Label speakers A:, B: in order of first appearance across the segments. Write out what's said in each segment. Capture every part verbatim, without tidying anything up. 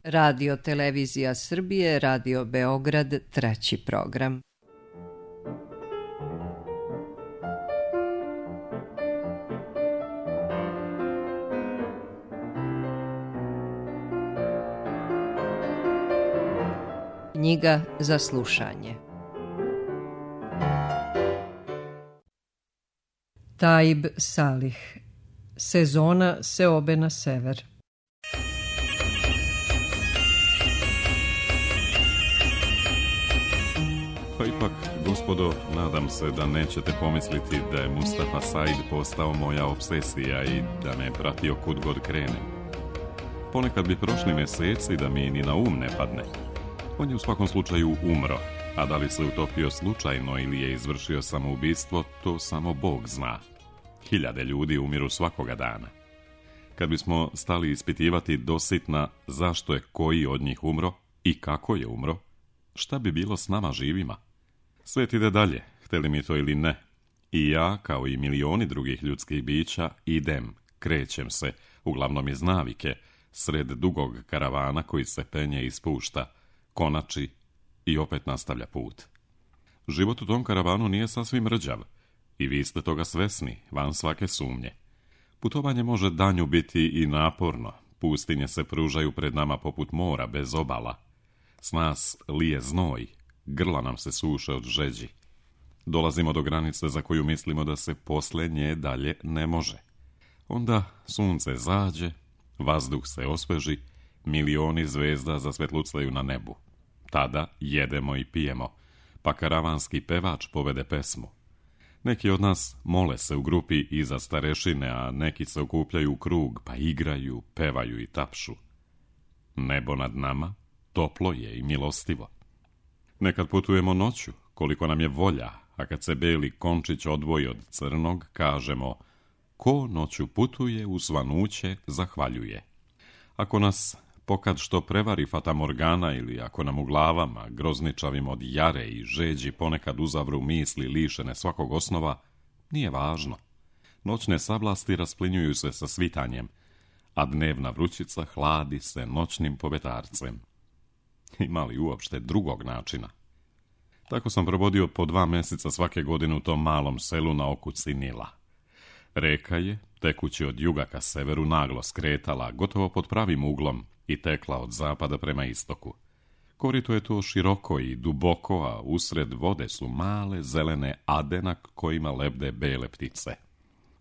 A: Radio Televizija Srbije, Radio Beograd, treći program. Knjiga za slušanje. Taib Salih. Sezona seobe na sever.
B: Pa ipak, gospodo, nadam se da nećete pomisliti da je Mustafa Said postao moja obsesija i da me pratio kud god krenem. Ponekad bi prošli mjeseci da mi ni na um ne padne. On je u svakom slučaju umro, a da li se utopio slučajno ili je izvršio samoubistvo, to samo Bog zna. Hiljade ljudi umiru svakoga dana. Kad bismo stali ispitivati dositna zašto je koji od njih umro i kako je umro, šta bi bilo s nama živima? Svijet ide dalje, htjeli mi to ili ne. I ja, kao i milioni drugih ljudskih bića, idem, krećem se, uglavnom iz navike, sred dugog karavana koji se penje i spušta, konači i opet nastavlja put. Život u tom karavanu nije sasvim rđav i vi ste toga svesni, van svake sumnje. Putovanje može danju biti i naporno, pustinje se pružaju pred nama poput mora bez obala. S nas lije znoj, grla nam se suše od žeđi. Dolazimo do granice za koju mislimo da se poslije nje dalje ne može. Onda sunce zađe, vazduh se osveži, milioni zvezda zasvetlucaju na nebu. Tada jedemo i pijemo, pa karavanski pevač povede pesmu. Neki od nas mole se u grupi iza starešine, a neki se okupljaju u krug, pa igraju, pevaju i tapšu. Nebo nad nama toplo je i milostivo. Nekad putujemo noću, koliko nam je volja, a kad se beli končić odvoji od crnog, kažemo: ko noću putuje, u svanuće zahvaljuje. Ako nas pokad što prevari fatamorgana ili ako nam u glavama, grozničavim od jare i žeđi, ponekad uzavru misli lišene svakog osnova, nije važno. Noćne sablasti rasplinjuju se sa svitanjem, a dnevna vrućica hladi se noćnim povetarcem. Ima li uopšte drugog načina? Tako sam provodio po dva mjeseca svake godine u tom malom selu na okuci Nila. Reka je, tekući od juga ka severu, naglo skretala, gotovo pod pravim uglom, i tekla od zapada prema istoku. Korito je to široko i duboko, a usred vode su male zelene ade na kojima lebde bele ptice.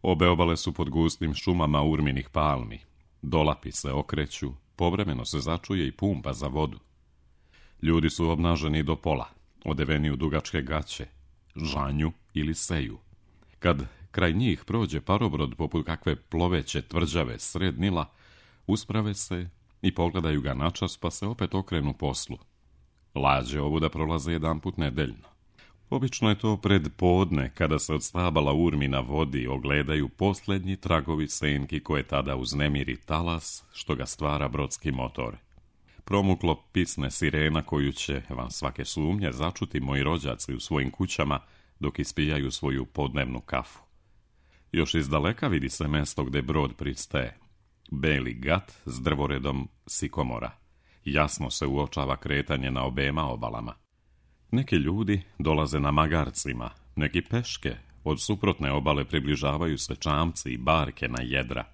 B: Obe obale su pod gustim šumama urminih palmi. Dolapi se okreću, povremeno se začuje i pumpa za vodu. Ljudi su obnaženi do pola, odeveni u dugačke gaće, žanju ili seju. Kad kraj njih prođe parobrod poput kakve ploveće tvrđave sred Nila, usprave se i pogledaju ga načas, pa se opet okrenu poslu. Lađe ovuda prolaze jedanput nedeljno. Obično je to pred podne, kada se od stabala urmi na vodi ogledaju posljednji tragovi senki koje tada uznemiri talas što ga stvara brodski motor. Promuklo pisne sirena koju će, van svake sumnje, začuti moji rođaci u svojim kućama dok ispijaju svoju podnevnu kafu. Još iz daleka vidi se mesto gde brod pristaje. Beli gat s drvoredom sikomora. Jasno se uočava kretanje na obema obalama. Neki ljudi dolaze na magarcima, neki peške, od suprotne obale približavaju se čamci i barke na jedra.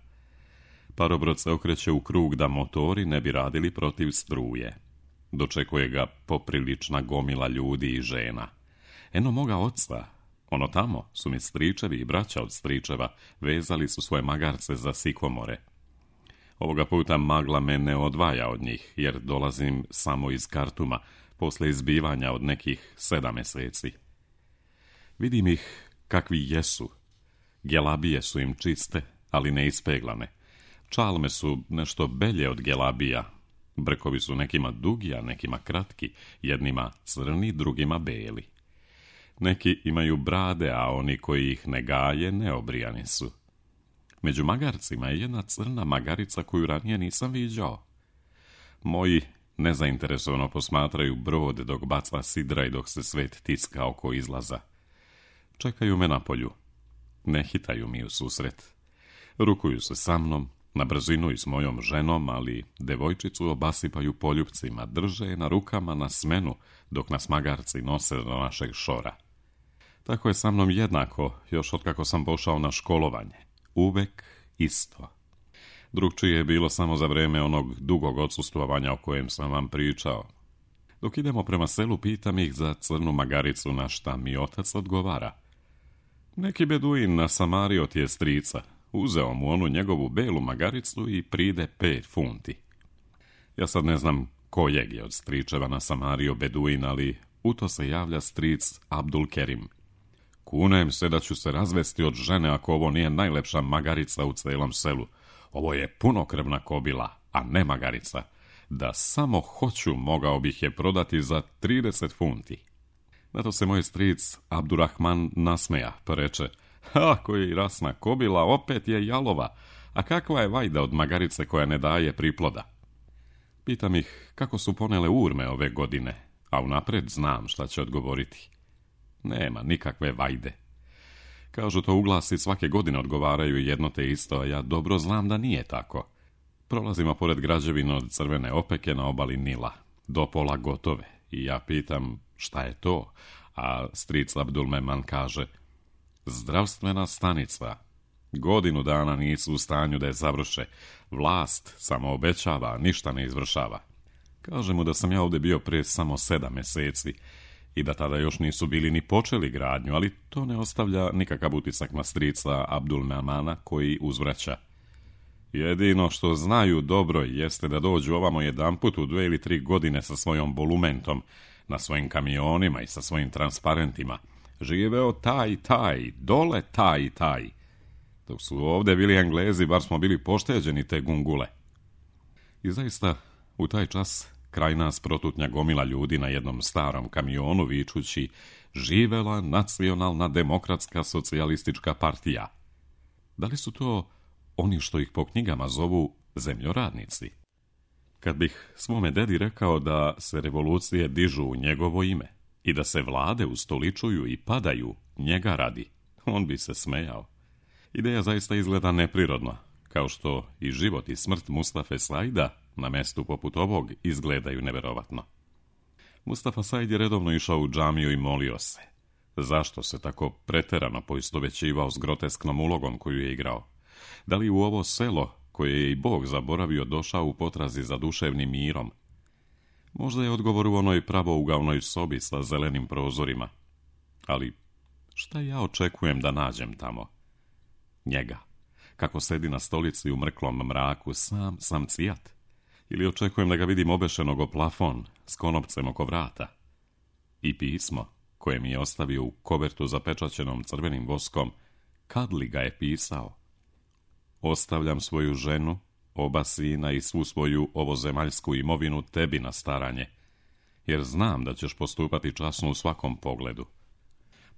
B: Parobrod se okreće u krug da motori ne bi radili protiv struje. Dočekuje ga poprilična gomila ljudi i žena. Eno moga oca, ono tamo su mi stričevi i braća od stričeva, vezali su svoje magarce za sikomore. Ovoga puta magla me ne odvaja od njih, jer dolazim samo iz Kartuma, posle izbivanja od nekih sedam mjeseci. Vidim ih kakvi jesu. Gelabije su im čiste, ali ne ispeglane. Čalme su nešto belje od gelabija. Brkovi su nekima dugi, a nekima kratki, jednima crni, drugima beli. Neki imaju brade, a oni koji ih ne gaje, neobrijani su. Među magarcima je jedna crna magarica koju ranije nisam viđao. Moji nezainteresovano posmatraju brod dok baca sidra i dok se svet tiska oko izlaza. Čekaju me na polju. Ne hitaju mi u susret. Rukuju se sa mnom, Na brzinu i s mojom ženom, ali devojčicu obasipaju poljupcima, drže je na rukama na smenu, dok nas magarci nose do našeg šora. Tako je sa mnom jednako, još otkako sam pošao na školovanje. Uvek isto. Drugčije je bilo samo za vrijeme onog dugog odsustvovanja o kojem sam vam pričao. Dok idemo prema selu, pitam ih za crnu magaricu, na šta mi otac odgovara. Neki beduin nasamario ti je strica. Uzeo mu onu njegovu belu magaricu i pride pet funti. Ja sad ne znam kojeg je od stričeva nasamario beduin, ali u to se javlja stric Abdul Kerim. Kunem se da ću se razvesti od žene ako ovo nije najlepša magarica u celom selu. Ovo je punokrvna kobila, a ne magarica. Da samo hoću, mogao bih je prodati za trideset funti. Na to se moj stric Abdurrahman nasmeja, pa reče: ha, koji rasna kobila, opet je jalova, a kakva je vajda od magarice koja ne daje priploda? Pitam ih kako su ponele urme ove godine, a unapred znam šta će odgovoriti. Nema nikakve vajde. Kažu to uglasi svake godine odgovaraju jedno te isto, a ja dobro znam da nije tako. Prolazimo pored građevina od crvene opeke na obali Nila, do pola gotove, i ja pitam šta je to, a stric Abdulmeman kaže: zdravstvena stanica. Godinu dana nisu u stanju da je završe. Vlast samo obećava, ništa ne izvršava. Kaže mu da sam ja ovdje bio prije samo sedam mjeseci i da tada još nisu bili ni počeli gradnju, ali to ne ostavlja nikakav utisak na strica Abdulmemana, koji uzvraća: jedino što znaju dobro jeste da dođu ovamo jedanput u dve ili tri godine sa svojom bolumentom, na svojim kamionima i sa svojim transparentima. Živeo taj, taj, dole taj, taj. Dok su ovdje bili Englezi, bar smo bili pošteđeni te gungule. I zaista, u taj čas, kraj nas protutnja gomila ljudi na jednom starom kamionu vičući: živela nacionalna demokratska socijalistička partija. Da li su to oni što ih po knjigama zovu zemljoradnici? Kad bih svome dedi rekao da se revolucije dižu u njegovo ime i da se vlade ustoličuju i padaju njega radi, on bi se smejao. Ideja zaista izgleda neprirodno, kao što i život i smrt Mustafe Saida na mestu poput ovog izgledaju neverovatno. Mustafa Said je redovno išao u džamiju i molio se. Zašto se tako preterano poistovećivao s grotesknom ulogom koju je igrao? Da li u ovo selo, koje je i Bog zaboravio, došao u potrazi za duševnim mirom? Možda je odgovor u onoj pravougaonoj sobi sa zelenim prozorima. Ali šta ja očekujem da nađem tamo? Njega, kako sedi na stolici u mrklom mraku, sam sam cijat? Ili očekujem da ga vidim obešenog o plafon s konopcem oko vrata? I pismo, koje mi je ostavio u kovertu zapečaćenom crvenim voskom, kad li ga je pisao? Ostavljam svoju ženu, oba sina i svu svoju ovozemaljsku imovinu tebi na staranje, jer znam da ćeš postupati časno u svakom pogledu.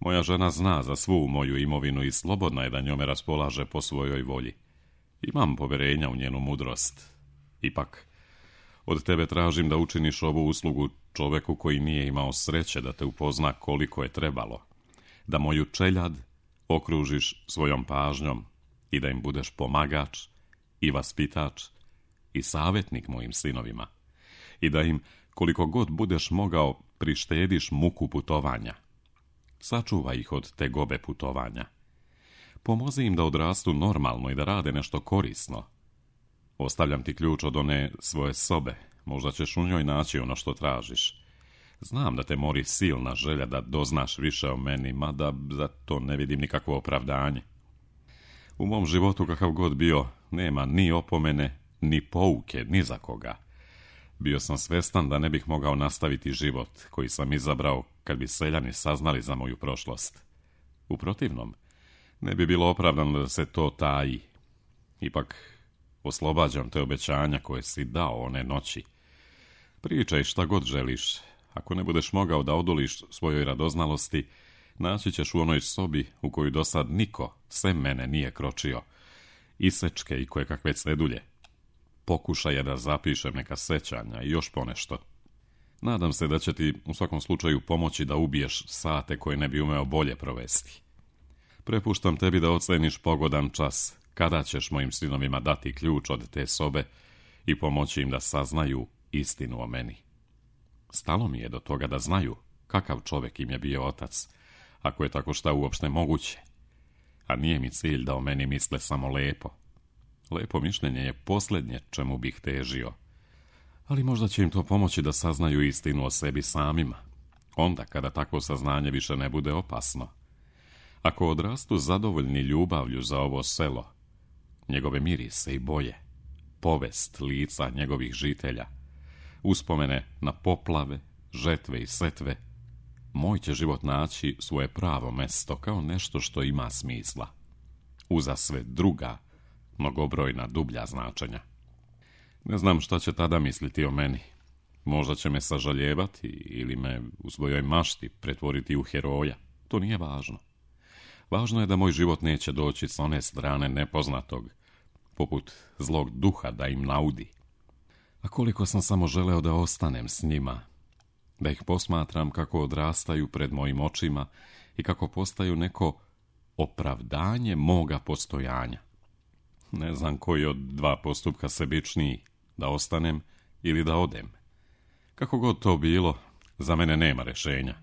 B: Moja žena zna za svu moju imovinu i slobodna je da njome raspolaže po svojoj volji. Imam poverenja u njenu mudrost. Ipak, od tebe tražim da učiniš ovu uslugu čoveku koji nije imao sreće da te upozna koliko je trebalo, da moju čeljad okružiš svojom pažnjom i da im budeš pomagač i vaspitač i savjetnik mojim sinovima, i da im, koliko god budeš mogao, prištediš muku putovanja. Sačuvaj ih od tegobe putovanja. Pomozi im da odrastu normalno i da rade nešto korisno. Ostavljam ti ključ od one svoje sobe, možda ćeš u njoj naći ono što tražiš. Znam da te mori silna želja da doznaš više o meni, mada za to ne vidim nikakvo opravdanje. U mom životu, kakav god bio, nema ni opomene, ni pouke, ni za koga. Bio sam svestan da ne bih mogao nastaviti život koji sam izabrao kad bi seljani saznali za moju prošlost. U protivnom, ne bi bilo opravdano da se to taji. Ipak, oslobađam te obećanja koje si dao one noći. Pričaj šta god želiš. Ako ne budeš mogao da odoliš svojoj radoznalosti, naći ćeš u onoj sobi u koju do sad niko, sem mene, nije kročio. Isečke i koje kakve cedulje. Pokušaj je da zapišem neka sećanja i još ponešto. Nadam se da će ti u svakom slučaju pomoći da ubiješ sate koje ne bi umeo bolje provesti. Prepuštam tebi da oceniš pogodan čas, kada ćeš mojim sinovima dati ključ od te sobe i pomoći im da saznaju istinu o meni. Stalo mi je do toga da znaju kakav čovjek im je bio otac, ako je tako šta uopšte moguće. A nije mi cilj da o meni misle samo lepo. Lepo mišljenje je posljednje čemu bih težio. Ali možda će im to pomoći da saznaju istinu o sebi samima, onda kada takvo saznanje više ne bude opasno. Ako odrastu zadovoljni ljubavlju za ovo selo, njegove mirise i boje, povest lica njegovih žitelja, uspomene na poplave, žetve i setve, moj će život naći svoje pravo mesto kao nešto što ima smisla, uza sve druga, mnogobrojna dublja značenja. Ne znam šta će tada misliti o meni. Možda će me sažaljevati ili me u svojoj mašti pretvoriti u heroja. To nije važno. Važno je da moj život neće doći s one strane nepoznatog, poput zlog duha da im naudi. A koliko sam samo želeo da ostanem s njima, da ih posmatram kako odrastaju pred mojim očima i kako postaju neko opravdanje moga postojanja. Ne znam koji od dva postupka sebičniji, da ostanem ili da odem. Kako god to bilo, za mene nema rešenja.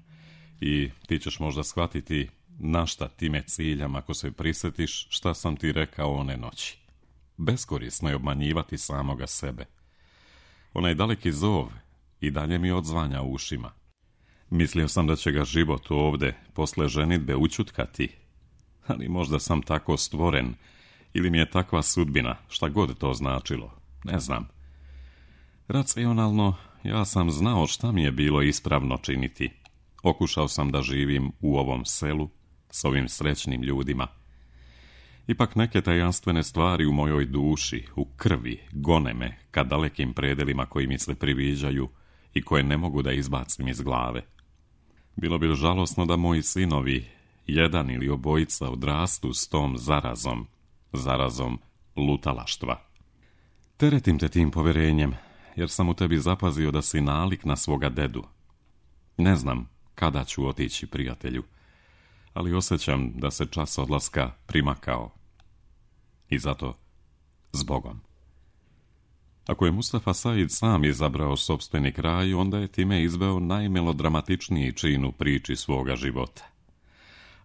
B: I ti ćeš možda shvatiti na šta ti me ciljam ako se prisjetiš šta sam ti rekao one noći. Beskorisno je obmanjivati samoga sebe. Onaj daleki zov i dalje mi odzvanja u ušima. Mislio sam da će ga život ovde posle ženidbe učutkati, ali možda sam tako stvoren ili mi je takva sudbina, šta god to značilo, ne znam. Racionalno, ja sam znao šta mi je bilo ispravno činiti. Okušao sam da živim u ovom selu, s ovim srećnim ljudima. Ipak neke tajanstvene stvari u mojoj duši, u krvi, gone me ka dalekim predelima koji mi se priviđaju i koje ne mogu da izbacim iz glave. Bilo bi žalosno da moji sinovi, jedan ili obojica, odrastu s tom zarazom, zarazom lutalaštva. Teretim te tim poverenjem, jer sam u tebi zapazio da si nalik na svoga dedu. Ne znam kada ću otići, prijatelju, ali osjećam da se čas odlaska primakao. I zato, zbogom. Ako je Mustafa Said sam izabrao sopstveni kraj, onda je time izveo najmelodramatičniji čin u priči svoga života.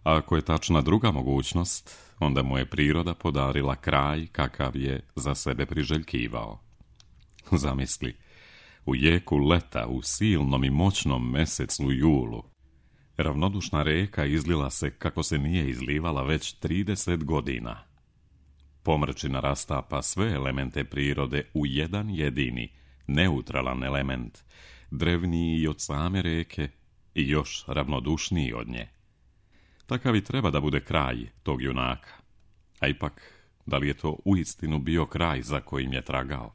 B: A ako je tačna druga mogućnost, onda mu je priroda podarila kraj kakav je za sebe priželjkivao. Zamisli, u jeku leta, u silnom i moćnom mesecu julu, ravnodušna reka izlila se kako se nije izlivala već trideset godina. Pomrčina rastapa sve elemente prirode u jedan jedini, neutralan element, drevniji i od same reke i još ravnodušniji od nje. Takav i treba da bude kraj tog junaka. A ipak, da li je to uistinu bio kraj za kojim je tragao?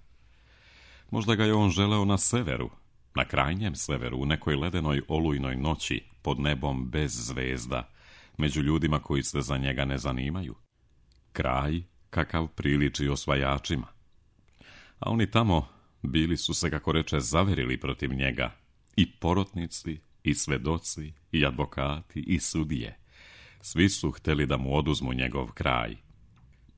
B: Možda ga je on želeo na severu, na krajnjem severu, u nekoj ledenoj olujnoj noći, pod nebom bez zvezda, među ljudima koji se za njega ne zanimaju. Kraj kakav priliči osvajačima. A oni tamo bili su se, kako reče, zaverili protiv njega, i porotnici, i svedoci, i advokati, i sudije. Svi su hteli da mu oduzmu njegov kraj.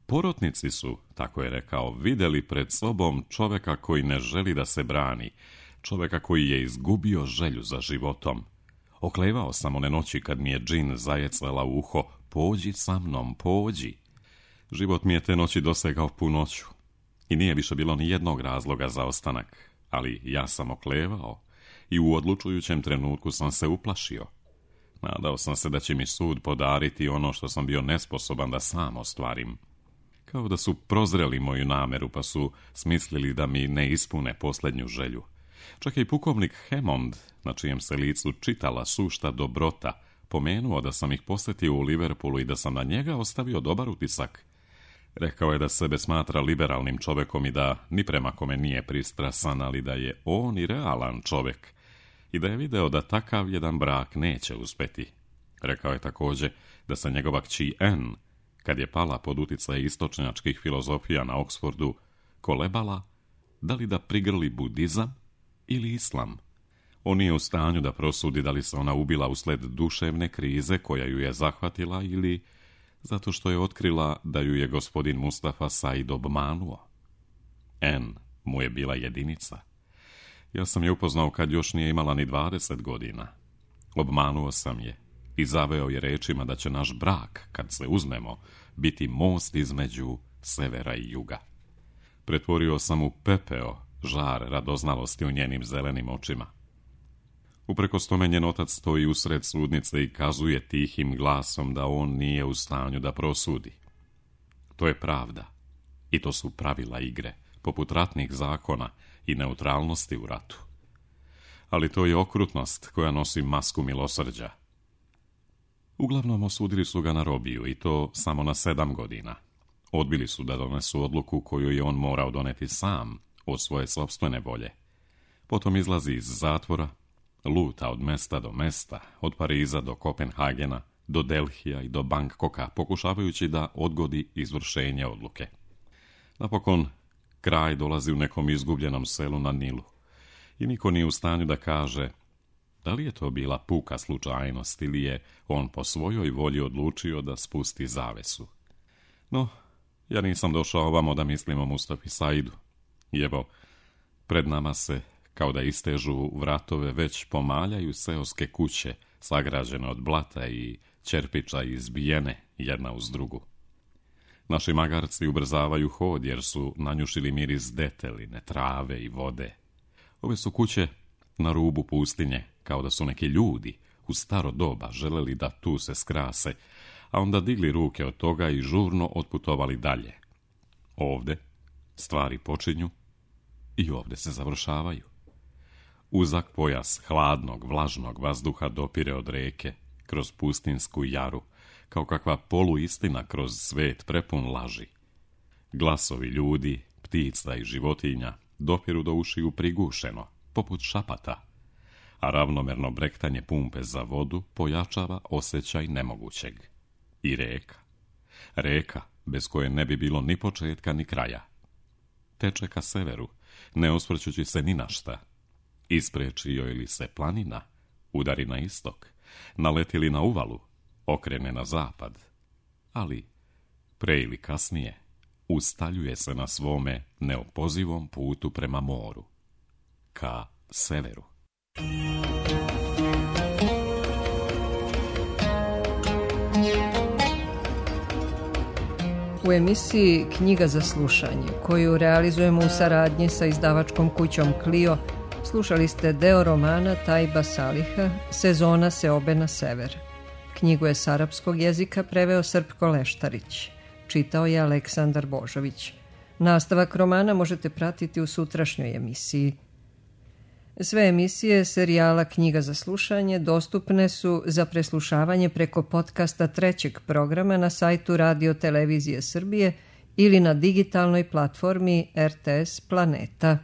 B: Porotnici su, tako je rekao, vidjeli pred sobom čoveka koji ne želi da se brani, čoveka koji je izgubio želju za životom. Oklevao sam one noći kad mi je džin zajecala u uho, pođi sa mnom, pođi. Život mi je te noći dosegao punoću i nije više bilo ni jednog razloga za ostanak, ali ja sam oklevao i u odlučujućem trenutku sam se uplašio. Nadao sam se da će mi sud podariti ono što sam bio nesposoban da sam ostvarim. Kao da su prozreli moju nameru pa su smislili da mi ne ispune posljednju želju. Čak i pukovnik Hammond, na čijem se licu čitala sušta dobrota, pomenuo da sam ih posjetio u Liverpoolu i da sam na njega ostavio dobar utisak. Rekao je da sebe smatra liberalnim čovekom i da ni prema kome nije pristrasan, ali da je on i realan čovek i da je video da takav jedan brak neće uspeti. Rekao je također da se njegova kći Anne, kad je pala pod uticaj istočnjačkih filozofija na Oxfordu, kolebala da li da prigrli budizam ili islam. On nije u stanju da prosudi da li se ona ubila usled duševne krize koja ju je zahvatila ili Zato što je otkrila da ju je gospodin Mustafa Said obmanuo. N mu je bila jedinica. Ja sam je upoznao kad još nije imala ni dvadeset godina. Obmanuo sam je i zaveo je rečima da će naš brak, kad se uzmemo, biti most između severa i juga. Pretvorio sam u pepeo žar radoznalosti u njenim zelenim očima. Uprkos tome njen otac stoji usred sudnice i kazuje tihim glasom da on nije u stanju da prosudi. To je pravda i to su pravila igre, poput ratnih zakona i neutralnosti u ratu. Ali to je okrutnost koja nosi masku milosrđa. Uglavnom osudili su ga na robiju i to samo na sedam godina. Odbili su da donesu odluku koju je on morao doneti sam od svoje sopstvene volje. Potom izlazi iz zatvora, luta od mesta do mesta, od Pariza do Kopenhagena, do Delhija i do Bangkoka, pokušavajući da odgodi izvršenje odluke. Napokon, kraj dolazi u nekom izgubljenom selu na Nilu i niko nije u stanju da kaže da li je to bila puka slučajnost ili je on po svojoj volji odlučio da spusti zavesu. No, ja nisam došao ovamo da mislim o Mustafi Saidu. I evo, pred nama se, kao da istežu vratove, već pomaljaju seoske kuće, sagrađene od blata i čerpiča izbijene jedna uz drugu. Naši magarci ubrzavaju hod jer su nanjušili miris deteline, trave i vode. Ove su kuće na rubu pustinje, kao da su neki ljudi u staro doba želeli da tu se skrase, a onda digli ruke od toga i žurno otputovali dalje. Ovde stvari počinju i ovde se završavaju. Uzak pojas hladnog, vlažnog vazduha dopire od reke, kroz pustinsku jaru, kao kakva poluistina kroz svet prepun laži. Glasovi ljudi, ptica i životinja dopiru do ušiju prigušeno, poput šapata, a ravnomerno brektanje pumpe za vodu pojačava osjećaj nemogućeg. I reka. Reka, bez koje ne bi bilo ni početka ni kraja. Teče ka severu, ne osvrćući se ni na šta. Ispreči joj li se planina, udari na istok, naleti li na uvalu, okrene na zapad. Ali, pre ili kasnije, ustaljuje se na svome neopozivom putu prema moru, ka severu.
A: U emisiji Knjiga za slušanje, koju realizujemo u saradnji sa izdavačkom kućom Clio, slušali ste deo romana Tajba Saliha Sezona seobe na sever. Knjigu je s arapskog jezika preveo Srpko Leštarić. Čitao je Aleksandar Božović. Nastavak romana možete pratiti u sutrašnjoj emisiji. Sve emisije serijala Knjiga za slušanje dostupne su za preslušavanje preko podcasta trećeg programa na sajtu Radio Televizije Srbije ili na digitalnoj platformi R T S Planeta.